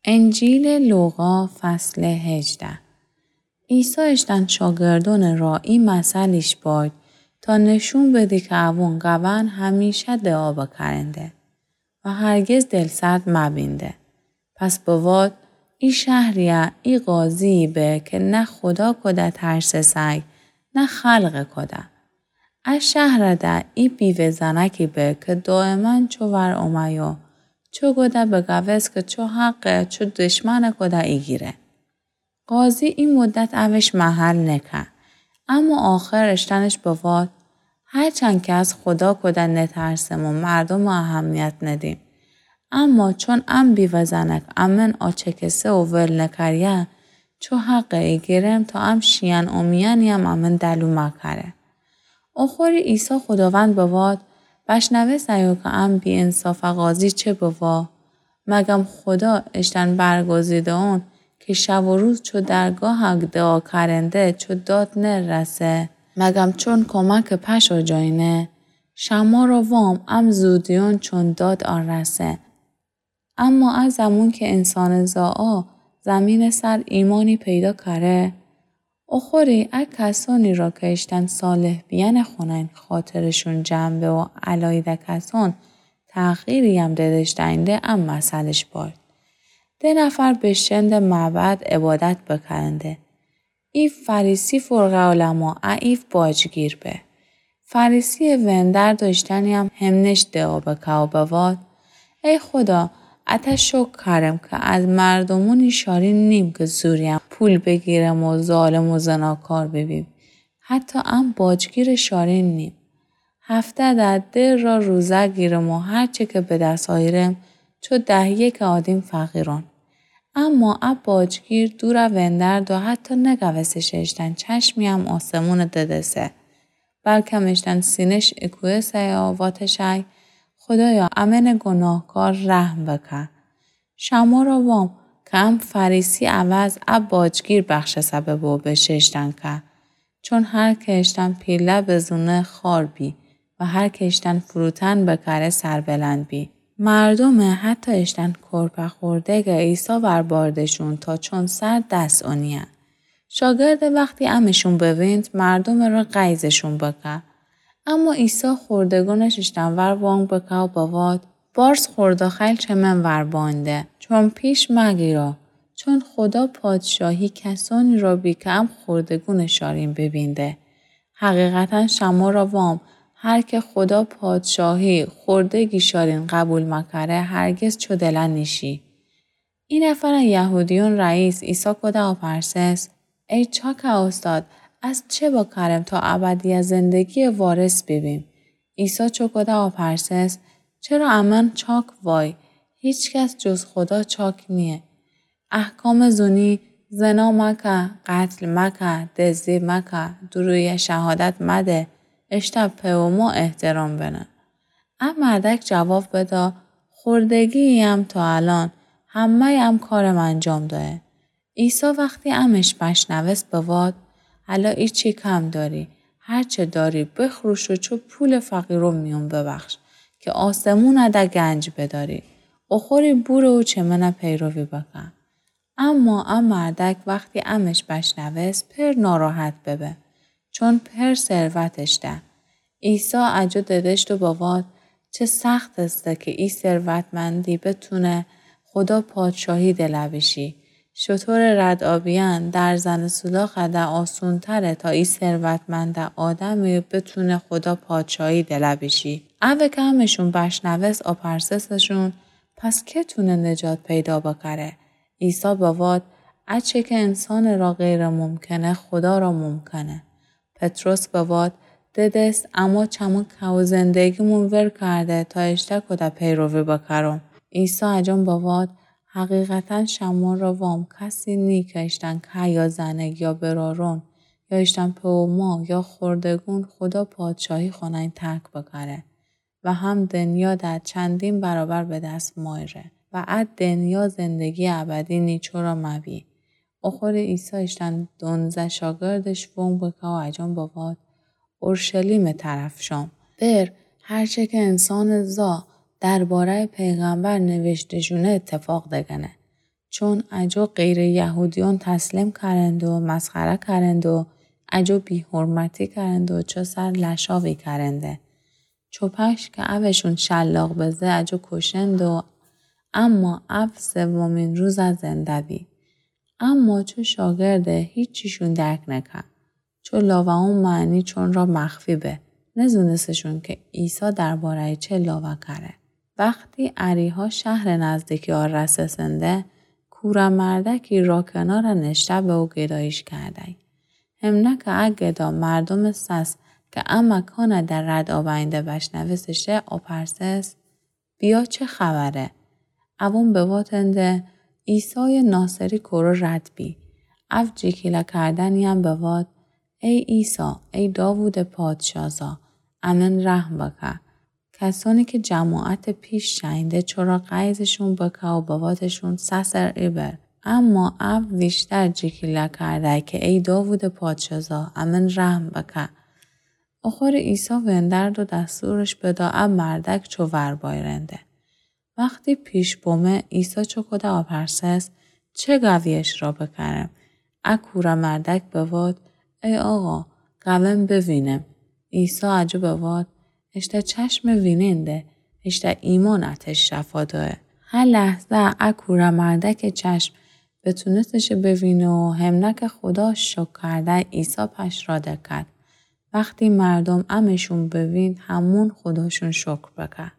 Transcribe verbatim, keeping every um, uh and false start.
انجیلٚ لوقا، فصلٚ هجده. عیسی اشتن شاگردونٚ را ای مثلیش بایید تا نشون بدی که اوون قوأن همیشه دعا بکرنده و هرگز دلسرد مبینده. پس بواد، ای شهریی ای قاضیی به که نه خودا کوده ترسسه‌ی، نه خلقٚ کوده. ا شهرٚ ده ای بیوه زنکی به که دایماً چو ور اومه‌یو، چو گوده بگوست که چو حقه، چو دشمنٚ کوده ایگیره. قاضی ای مدت اوش محل نکه. اما آخر اشتنش بواد، هرچند که از خودا کوده نترسم و مردومٚ اهمیت ندیم، اما چون ام بیوه زنک امن آچکسه و ول نکریه، چو حقه ایگیرم تا ام شیئن اومیأنییم امن دلو مکره. اوخوری عیسی خوداوند بواد، بشنوسته‌یو که ام بی‌انصافٚ قاضی چه بوا؟ مگم خودا اشتن برگزیده‌یون که شب و روز چو درگاه دعا کرنده چو داد نرسه؟ مگم چون کمکٚ پشه جوینه؟ شمه را وام ام زودیون چون داد آرسه. اما ا زمون که انسانٚ زاعا زمینٚ سر ایمانی پیدا کره، اوخوری ا کسونی را که اشتن صالح بیأنٚ خونه‌ین خاطرشون جمع به و الایده کسون تحقیرییم ددش دأینده ا مثلش بایید. ده نفر بشتنده معبد عبادت بکرنده. ای فریسی فرقه علما، ا ایف باجگیر به. فریسیٚ وندر داشتنییم همنش دعا بکه و بواد، ای خودا، اته شکر کرم که از مردومونی شارین نیم که زورییم پول بیگیرم و ظالم و زناکار بیبیم. حتی ام باجگیرٚ شارین نیم. هفته ده ده را روزه گیرم و هرچه که به دس آیرم، چو ده یکٚ آدیم فقیرون. اما ا باجگیر دورٚ وندر دو حتی نگوستش اشتن چشمییم آسمونٚ ددسه، بلکم اشتن سینه‌ش اکویسه و واتشی، خودایا، امنٚ گناهکار رحم بکه. شمه را وام که ام فریسی عوض ا باجگیر بخشسه ببو بشه اشتن که، چون هر که اشتن پیله بزونه خوار بی و هر که اشتن فروتن بکره سربلند بی. مردومٚ حتی اشتن کرپه خوردگه عیسی ور باردشون تا چون سر دس اونیه. شاگرده وختی امشون ببینید، مردومٚ را غیظشون بکه. اما عیسی خوردگونش اشتن ور وانگ بکه و بواد، بارس خورده خیل چه من ور بانده، چون پیش مگیرا، چون خودا پادشاهی کسانی را بی که ام خوردگونٚ شارین بیبینده. حقیقتاً شمه را وام، هر که خودا پادشاهی خوردگی شارین قبول مکره، هرگز چو دله نیشی. ای نفر یهودیون رئیس عیسی کوده آپرسس، ای چاکٚ اوستاد، از چه بکرم تا ابدیٚ زندگیٚ وارث بیبیم؟ عیسی چو کوده آپرسس، چرا امأن چاک وای؟ هیچکس جز خودا چاک نییه. احکامٚ زونی، زنا مکه، قتل مکه، دزدی مکه، دورویی شهادت مده، اشتأ پئر و مار احترام بنه. ا مردک جواب بدا، خوردگی‌یم تا الأن همه‌ی ام کارم انجام دایه. عیسی وختی امش بشنوست بواد، الأن ایچی کم داری، هرچه داری بخروش و چو پولٚ فقیرون میون ببخش که آسمونٚ ده گنج بداری. اوخوری بورو و چه من پیروی بکن. اما ا مردک وختی امش بشنوست پئر ناراحت ببه، چون پئر ثروتش ده. عیسی اجو ددشت و بواد، چه سخت استه که ای ثروتمندی بتونه خودا پادشاهی دله بیشی. شترٚ ردآبیأن در زنٚ سولاخٚ ده آسونتره تا ای ثروتمندٚ آدمی بتونه خودا پادشاهی دله بیشی. اوه که امشون بشنوست آپرسسشون، پس که تونه نجات پیدا بکره؟ عیسی بواد، اچه که انسانٚ را غیرٚ ممکنه، خودا را ممکنه. پطرس بواد، ددست، اما چمو که و زندگیمون ور کرده تا اشته کوده پیروی بکرم. عیسی اجان بواد، حقیقتاً شمو را وام، کسی نی که اشتن که یا زنگ یا برارون، یا اشتن پئر و مار یا خوردگون خودا پادشاهی خونه‌ین ترک بکره. و هم دنیا ده چندین برابر به دس مایره و ا دنیا زندگیٚ ابدی نیچو را مبی. اوخوری عیسی اشتن دونزه شاگردش وونگ بکه و اجان بواد، اورشلیمٚ طرف شم. بر هرچه که انسانٚ زا درباره‌یٚ پیغمبر نوشته شونه اتفاق دگنه. چون اجو غیر یهودیون تسلیم کرند و مسخره کرند و اجو بی‌حرمتی کرند و چو سر لشاوی کرنده. چو پشک که اوشون شلاق بزه اجو کشند و اما او سومین روز زنده بی. اما چو شاگرده هیچیشون درک نکه. چو لاوه‌ون معنی چون را مخفی به. نزونستشون که عیسی دربارهٔ چه لاوه کره. وختی اریحا شهرٚ نزدیکی آ رسسنده، کوره مردکی را کنار نشته به او گدایش کردی. همنه که ا گدا مردومٚ سس که ا مکان در رد آوینده بشنوستشه، آپرسس: بیا چه خبره؟ اوون بواتنده: عیسایٚ ناصری کره رد بی. او جیکیله کردنی‌یم بوات: ای عیسی، ای داوودٚ پادشازا، امن رحم بکه. کسانی که جماعتٚ پیش شینده چرا غیظشون بکه و بواتشون سسر ایبر. اما او ویشتر جیکیله کرده که ای داوودٚ پادشازا، امن رحم بکه. اخور عیسی وندرد و دستورش بدا ا مردک چو ور بایرنده. وختی پیش بومه، عیسی چوکوده آپرسس: چه گوی اشرا بکرم؟ ا کوره مردک بوات: ای آقا، گوم بوینم. عیسی اجو بوات: اشته چشمٚ ویننده، اشته ایمانٚ اتش شفا دوه. هه لحظه ا کوره مردکٚ چشم بتونستشه بوینه و همنه که خودا شکر کرده، عیسی پش را دکد. وختی مردوم امشون بوین، همون خوداشون شکر بکه.